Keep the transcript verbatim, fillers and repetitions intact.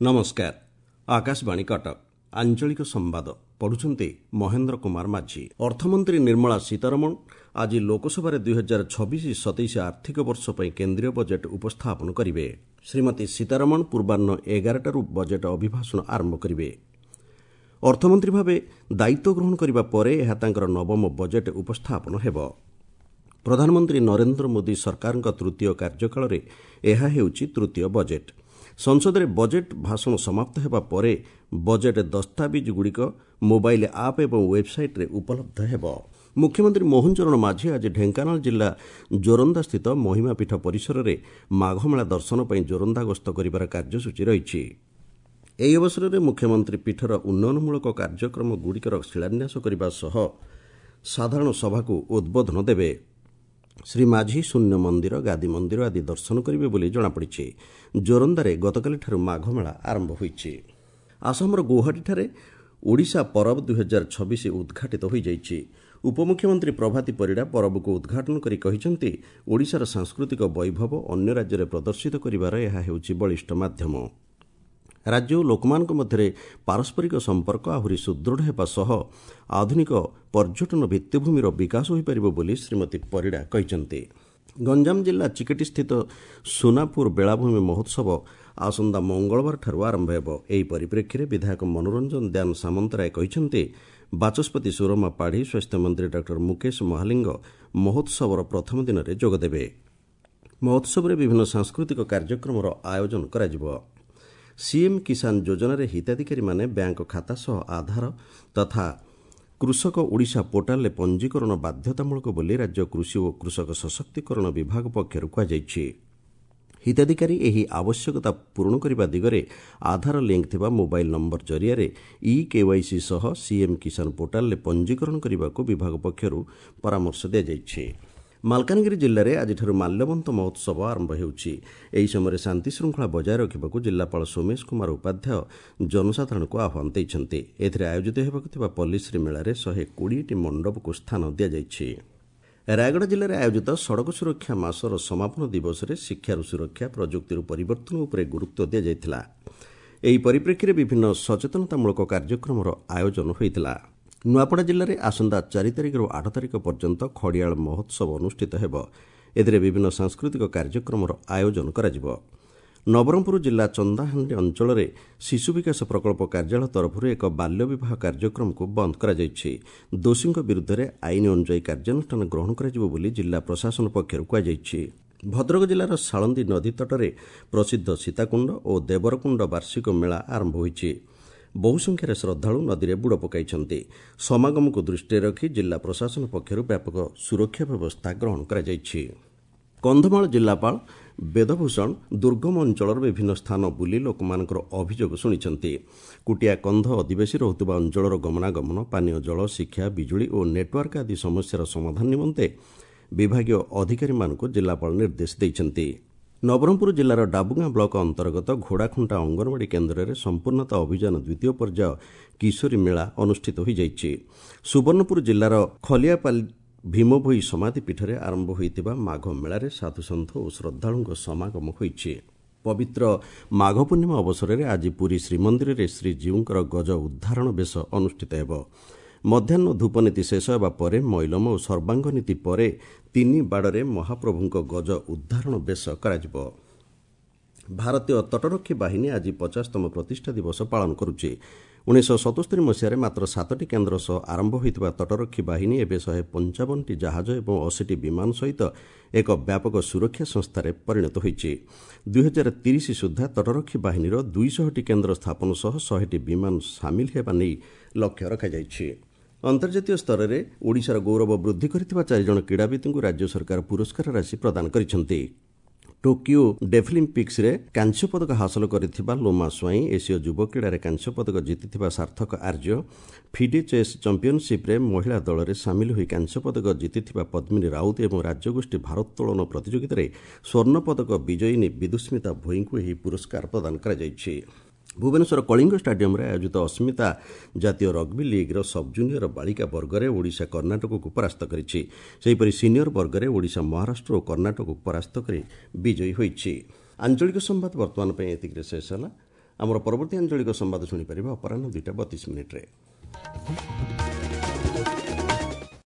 ନମସ୍କାର, ଆକାଶବାଣୀ କଟକ, ଆଞ୍ଚଳିକ ସମ୍ବାଦ ପଢୁଛନ୍ତି ମହେନ୍ଦ୍ର କୁମାର ମାଝୀ। ଅର୍ଥମନ୍ତ୍ରୀ ନିର୍ମଳା ସୀତାରମଣ ଆଜି ଲୋକସଭାରେ ଦୁଇ ହଜାର ଛବିଶ ସତେଇଶ ଆର୍ଥିକ ବର୍ଷ ପାଇଁ କେନ୍ଦ୍ରୀୟ ବଜେଟ୍ ଉପସ୍ଥାପନ କରିବେ। ଶ୍ରୀମତୀ ସୀତାରମଣ ପୂର୍ବାହ୍ନ ଏଗାରଟାରୁ ବଜେଟ୍ ଅଭିଭାଷଣ ଆରମ୍ଭ କରିବେ। ଅର୍ଥମନ୍ତ୍ରୀ ଭାବେ ଦାୟିତ୍ୱ ଗ୍ରହଣ କରିବା ପରେ ଏହା ତାଙ୍କର ନବମ ବଜେଟ୍ ଉପସ୍ଥାପନ ହେବ। ପ୍ରଧାନମନ୍ତ୍ରୀ ନରେନ୍ଦ୍ର ମୋଦି ସରକାରଙ୍କ ତୃତୀୟ କାର୍ଯ୍ୟକାଳରେ ଏହା ହେଉଛି ତୃତୀୟ ବଜେଟ୍। ସଂସଦରେ ବଜେଟ୍ ଭାଷଣ ସମାପ୍ତ ହେବା ପରେ ବଜେଟ୍ ଦସ୍ତାବିଜ୍ଗୁଡ଼ିକ ମୋବାଇଲ୍ ଆପ୍ ଏବଂ ୱେବ୍ସାଇଟ୍ରେ ଉପଲବ୍ଧ ହେବ। ମୁଖ୍ୟମନ୍ତ୍ରୀ ମୋହନ ଚରଣ ମାଝୀ ଆଜି ଢେଙ୍କାନାଳ ଜିଲ୍ଲା ଜୋରନ୍ଦାସ୍ଥିତ ମହିମାପୀଠ ପରିସରରେ ମାଘମେଳା ଦର୍ଶନ ପାଇଁ ଜୋରନ୍ଦା ଗସ୍ତ କରିବାର କାର୍ଯ୍ୟସୂଚୀ ରହିଛି। ଏହି ଅବସରରେ ମୁଖ୍ୟମନ୍ତ୍ରୀ ପୀଠର ଉନ୍ନୟନମୂଳକ କାର୍ଯ୍ୟକ୍ରମଗୁଡ଼ିକର ଶିଳାନ୍ୟାସ କରିବା ସହ ସାଧାରଣ ସଭାକୁ ଉଦ୍ବୋଧନ ଦେବେ। ଶ୍ରୀ ମାଝୀ ଶୂନ୍ୟ ମନ୍ଦିର, ଗାଦି ମନ୍ଦିର ଆଦି ଦର୍ଶନ କରିବେ ବୋଲି ଜଣାପଡ଼ିଛି। ଜୋରନ୍ଦାରେ ଗତକାଲିଠାରୁ ମାଘମେଳା ଆରମ୍ଭ ହୋଇଛି। ଆସାମର ଗୌହାଟୀଠାରେ ଓଡ଼ିଶା ପରବ ଦୁଇହଜାର ଛବିଶ ଉଦ୍ଘାଟିତ ହୋଇଯାଇଛି। ଉପମୁଖ୍ୟମନ୍ତ୍ରୀ ପ୍ରଭାତୀ ପରିଡ଼ା ପରବକୁ ଉଦ୍ଘାଟନ କରି କହିଛନ୍ତି, ଓଡ଼ିଶାର ସାଂସ୍କୃତିକ ବୈଭବ ଅନ୍ୟ ରାଜ୍ୟରେ ପ୍ରଦର୍ଶିତ କରିବାର ଏହା ହେଉଛି ବଳିଷ୍ଠ ମାଧ୍ୟମ। ରାଜ୍ୟ ଓ ଲୋକମାନଙ୍କ ମଧ୍ୟରେ ପାରସ୍ପରିକ ସମ୍ପର୍କ ଆହୁରି ସୁଦୃଢ଼ ହେବା ସହ ଆଧୁନିକ ପର୍ଯ୍ୟଟନ ଭିତ୍ତିଭୂମିର ବିକାଶ ହୋଇପାରିବ ବୋଲି ଶ୍ରୀମତୀ ପରିଡ଼ା କହିଛନ୍ତି। ଗଞ୍ଜାମ ଜିଲ୍ଲା ଚିକିଟିସ୍ଥିତ ସୁନାପୁର ବେଳାଭୂମି ମହୋତ୍ସବ ଆସନ୍ତା ମଙ୍ଗଳବାରଠାରୁ ଆରମ୍ଭ ହେବ। ଏହି ପରିପ୍ରେକ୍ଷୀରେ ବିଧାୟକ ମନୋରଞ୍ଜନ ଦ୍ୟାନ ସାମନ୍ତରାୟ କହିଛନ୍ତି, ବାଚସ୍ପତି ସୁରମା ପାଢ଼ୀ, ସ୍ୱାସ୍ଥ୍ୟମନ୍ତ୍ରୀ ଡାକ୍ତର ମୁକେଶ ମହାଲିଙ୍ଗ ମହୋତ୍ସବର ପ୍ରଥମ ଦିନରେ ଯୋଗଦେବେ। ମହୋତ୍ସବରେ ବିଭିନ୍ନ ସାଂସ୍କୃତିକ କାର୍ଯ୍ୟକ୍ରମର ଆୟୋଜନ କରାଯିବ। ସିଏମ୍ କିଷାନ ଯୋଜନାରେ ହିତାଧିକାରୀମାନେ ବ୍ୟାଙ୍କ ଖାତା ସହ ଆଧାର ତଥା କୃଷକ ଓଡ଼ିଶା ପୋର୍ଟାଲରେ ପଞ୍ଜୀକରଣ ବାଧ୍ୟତାମୂଳକ ବୋଲି ରାଜ୍ୟ କୃଷି ଓ କୃଷକ ସଶକ୍ତିକରଣ ବିଭାଗ ପକ୍ଷରୁ କୁହାଯାଇଛି। ହିତାଧିକାରୀ ଏହି ଆବଶ୍ୟକତା ପୂରଣ କରିବା ଦିଗରେ ଆଧାର ଲିଙ୍କ୍ ଥିବା ମୋବାଇଲ୍ ନମ୍ବର ଜରିଆରେ ଇ କେୱାଇସି ସହ ସିଏମ୍ କିଷାନ ପୋର୍ଟାଲରେ ପଞ୍ଜୀକରଣ କରିବାକୁ ବିଭାଗ ପକ୍ଷରୁ ପରାମର୍ଶ ଦିଆଯାଇଛି। ମାଲକାନଗିରି ଜିଲ୍ଲାରେ ଆଜିଠାରୁ ମାଲ୍ୟବନ୍ତ ମହୋତ୍ସବ ଆରମ୍ଭ ହେଉଛି। ଏହି ସମୟରେ ଶାନ୍ତିଶୃଙ୍ଖଳା ବଜାୟ ରଖିବାକୁ ଜିଲ୍ଲାପାଳ ସୋମେଶ କୁମାର ଉପାଧ୍ୟାୟ ଜନସାଧାରଣଙ୍କୁ ଆହ୍ୱାନ ଦେଇଛନ୍ତି। ଏଥିରେ ଆୟୋଜିତ ହେବାକୁ ଥିବା ପଲ୍ଲୀଶ୍ରୀ ମେଳାରେ ଶହେ କୋଡ଼ିଏଟି ମଣ୍ଡପକୁ ସ୍ଥାନ ଦିଆଯାଇଛି। ରାୟଗଡ଼ା ଜିଲ୍ଲାରେ ଆୟୋଜିତ ସଡ଼କ ସୁରକ୍ଷା ମାସର ସମାପନ ଦିବସରେ ଶିକ୍ଷାରୁ ସୁରକ୍ଷା, ପ୍ରଯୁକ୍ତିରୁ ପରିବର୍ତ୍ତନ ଉପରେ ଗୁରୁତ୍ୱ ଦିଆଯାଇଥିଲା। ଏହି ପରିପ୍ରେକ୍ଷୀରେ ବିଭିନ୍ନ ସଚେତନତାମୂଳକ କାର୍ଯ୍ୟକ୍ରମର ଆୟୋଜନ ହୋଇଥିଲା। ନୂଆପଡ଼ା ଜିଲ୍ଲାରେ ଆସନ୍ତା ଚାରି ତାରିଖରୁ ଆଠ ତାରିଖ ପର୍ଯ୍ୟନ୍ତ ଖଡ଼ିଆଳ ମହୋତ୍ସବ ଅନୁଷ୍ଠିତ ହେବ। ଏଥିରେ ବିଭିନ୍ନ ସାଂସ୍କୃତିକ କାର୍ଯ୍ୟକ୍ରମର ଆୟୋଜନ କରାଯିବ। ନବରଙ୍ଗପୁର ଜିଲ୍ଲା ଚନ୍ଦାହାଣ୍ଡି ଅଞ୍ଚଳରେ ଶିଶୁ ବିକାଶ ପ୍ରକଳ୍ପ କାର୍ଯ୍ୟାଳୟ ତରଫରୁ ଏକ ବାଲ୍ୟ ବିବାହ କାର୍ଯ୍ୟକ୍ରମକୁ ବନ୍ଦ କରାଯାଇଛି। ଦୋଷୀଙ୍କ ବିରୁଦ୍ଧରେ ଆଇନ ଅନୁଯାୟୀ କାର୍ଯ୍ୟାନୁଷ୍ଠାନ ଗ୍ରହଣ କରାଯିବ ବୋଲି ଜିଲ୍ଲା ପ୍ରଶାସନ ପକ୍ଷରୁ କୁହାଯାଇଛି। ଭଦ୍ରକ ଜିଲ୍ଲାର ସାଳନ୍ଦୀ ନଦୀ ତଟରେ ପ୍ରସିଦ୍ଧ ସୀତାକୁଣ୍ଡ ଓ ଦେବରକୁଣ୍ଡ ବାର୍ଷିକ ମେଳା ଆରମ୍ଭ ହୋଇଛି। ବହୁ ସଂଖ୍ୟାରେ ଶ୍ରଦ୍ଧାଳୁ ନଦୀରେ ବୁଡ଼ ପକାଇଛନ୍ତି। ସମାଗମକୁ ଦୃଷ୍ଟିରେ ରଖି ଜିଲ୍ଲା ପ୍ରଶାସନ ପକ୍ଷରୁ ବ୍ୟାପକ ସୁରକ୍ଷା ବ୍ୟବସ୍ଥା ଗ୍ରହଣ କରାଯାଇଛି। କନ୍ଧମାଳ ଜିଲ୍ଲାପାଳ ବେଦଭୂଷଣ ଦୁର୍ଗମ ଅଞ୍ଚଳର ବିଭିନ୍ନ ସ୍ଥାନ ବୁଲି ଲୋକମାନଙ୍କର ଅଭିଯୋଗ ଶୁଣିଛନ୍ତି। କୁଟିଆ କନ୍ଧ ଅଧିବାସୀ ରହୁଥିବା ଅଞ୍ଚଳର ଗମନାଗମନ, ପାନୀୟ ଜଳ, ଶିକ୍ଷା, ବିଜୁଳି ଓ ନେଟୱାର୍କ ଆଦି ସମସ୍ୟାର ସମାଧାନ ନିମନ୍ତେ ବିଭାଗୀୟ ଅଧିକାରୀମାନଙ୍କୁ ଜିଲ୍ଲାପାଳ ନିର୍ଦ୍ଦେଶ ଦେଇଛନ୍ତି। ନବରଙ୍ଗପୁର ଜିଲ୍ଲାର ଡାବୁଗାଁ ବ୍ଲକ ଅନ୍ତର୍ଗତ ଘୋଡ଼ାଖୁଣ୍ଟା ଅଙ୍ଗନବାଡ଼ି କେନ୍ଦ୍ରରେ ସମ୍ପୂର୍ଣ୍ଣତା ଅଭିଯାନ ଦ୍ୱିତୀୟ ପର୍ଯ୍ୟାୟ କିଶୋରୀ ମେଳା ଅନୁଷ୍ଠିତ ହୋଇଯାଇଛି। ସୁବର୍ଣ୍ଣପୁର ଜିଲ୍ଲାର ଖଲିଆପାଲି ଭୀମଭୋଇ ସମାଧି ପୀଠରେ ଆରମ୍ଭ ହୋଇଥିବା ମାଘ ମେଳାରେ ସାଧୁସନ୍ଥ ଓ ଶ୍ରଦ୍ଧାଳୁଙ୍କ ସମାଗମ ହୋଇଛି। ପବିତ୍ର ମାଘ ପୂର୍ଣ୍ଣିମା ଅବସରରେ ଆଜି ପୁରୀ ଶ୍ରୀମନ୍ଦିରରେ ଶ୍ରୀଜୀଉଙ୍କର ଗଜ ଉଦ୍ଧାରଣ ବେଶ ଅନୁଷ୍ଠିତ ହେବ। ମଧ୍ୟାହ୍ନ ଧୂପନୀତି ଶେଷ ହେବା ପରେ ମଇଲମ ଓ ସର୍ବାଙ୍ଗ ନୀତି ପରେ ତିନି ବାଡ଼ରେ ମହାପ୍ରଭୁଙ୍କ ଗଜ ଉଦ୍ଧାରଣ ବେଶ କରାଯିବ। ଭାରତୀୟ ତଟରକ୍ଷୀ ବାହିନୀ ଆଜି ପଚାଶତମ ପ୍ରତିଷ୍ଠା ଦିବସ ପାଳନ କରୁଛି। ଉଣେଇଶହ ସତସ୍ତରୀ ମସିହାରେ ମାତ୍ର ସାତଟି କେନ୍ଦ୍ର ସହ ଆରମ୍ଭ ହୋଇଥିବା ତଟରକ୍ଷୀ ବାହିନୀ ଏବେ ଶହେ ପଞ୍ଚାବନଟି ଜାହାଜ ଏବଂ ଅଶୀଟି ବିମାନ ସହିତ ଏକ ବ୍ୟାପକ ସୁରକ୍ଷା ସଂସ୍ଥାରେ ପରିଣତ ହୋଇଛି। ଦୁଇହଜାର ତିରିଶ ସୁଦ୍ଧା ତଟରକ୍ଷୀ ବାହିନୀର ଦୁଇଶହଟି କେନ୍ଦ୍ର ସ୍ଥାପନ ସହ ଶହେଟି ବିମାନ ସାମିଲ ହେବା ନେଇ ଲକ୍ଷ୍ୟ ରଖାଯାଇଛି। ଅନ୍ତର୍ଜାତୀୟ ସ୍ତରରେ ଓଡ଼ିଶାର ଗୌରବ ବୃଦ୍ଧି କରିଥିବା ଚାରିଜଣ କ୍ରୀଡ଼ାବିତ୍ଙ୍କୁ ରାଜ୍ୟ ସରକାର ପୁରସ୍କାର ରାଶି ପ୍ରଦାନ କରିଛନ୍ତି। ଟୋକିଓ ଡେଫଲିମ୍ପିକ୍ସରେ କାଂସ୍ୟ ପଦକ ହାସଲ କରିଥିବା ଲୋମା ସ୍ୱାଇଁ, ଏସୀୟ ଯୁବ କ୍ରୀଡ଼ାରେ କାଂସ୍ୟ ପଦକ ଜିତିଥିବା ସାର୍ଥକ ଆର୍ଯ୍ୟ, ଫିଡେ ଚେସ୍ ଚାମ୍ପିୟନସିପ୍ରେ ମହିଳା ଦଳରେ ସାମିଲ ହୋଇ କାଂସ୍ୟ ପଦକ ଜିତିଥିବା ପଦ୍ମିନୀ ରାଉତ ଏବଂ ରାଜ୍ୟଗୋଷ୍ଠୀ ଭାରୋତ୍ତୋଳନ ପ୍ରତିଯୋଗିତାରେ ସ୍ୱର୍ଣ୍ଣ ପଦକ ବିଜୟିନୀ ବିଦୁସ୍ମିତା ଭୋଇଙ୍କୁ ଏହି ପୁରସ୍କାର ପ୍ରଦାନ କରାଯାଇଛି। ଭୁବନେଶ୍ୱର କଳିଙ୍ଗ ଷ୍ଟାଡିୟମରେ ଆୟୋଜିତ ଅସ୍ମିତା ଜାତୀୟ ରଗ୍ବି ଲିଗ୍ର ସବ୍ଜୁନିୟର ବାଳିକା ବର୍ଗରେ ଓଡ଼ିଶା କର୍ଣ୍ଣାଟକକୁ ପରାସ୍ତ କରିଛି। ସେହିପରି ସିନିୟର ବର୍ଗରେ ଓଡ଼ିଶା ମହାରାଷ୍ଟ୍ର ଓ କର୍ଣ୍ଣାଟକକୁ ପରାସ୍ତ କରି ବିଜୟୀ ହୋଇଛି। ଆଞ୍ଚଳିକ ସମ୍ବାଦ ବର୍ତ୍ତମାନ ପାଇଁ ଏତିକିରେ ଶେଷ ହେଲା। ଆମର ପରବର୍ତ୍ତୀ ଆଞ୍ଚଳିକ ସମ୍ବାଦ ଶୁଣିପାରିବେ ଅପରାହ୍ନ ଦୁଇଟା ବତିଶ ମିନିଟ୍ରେ।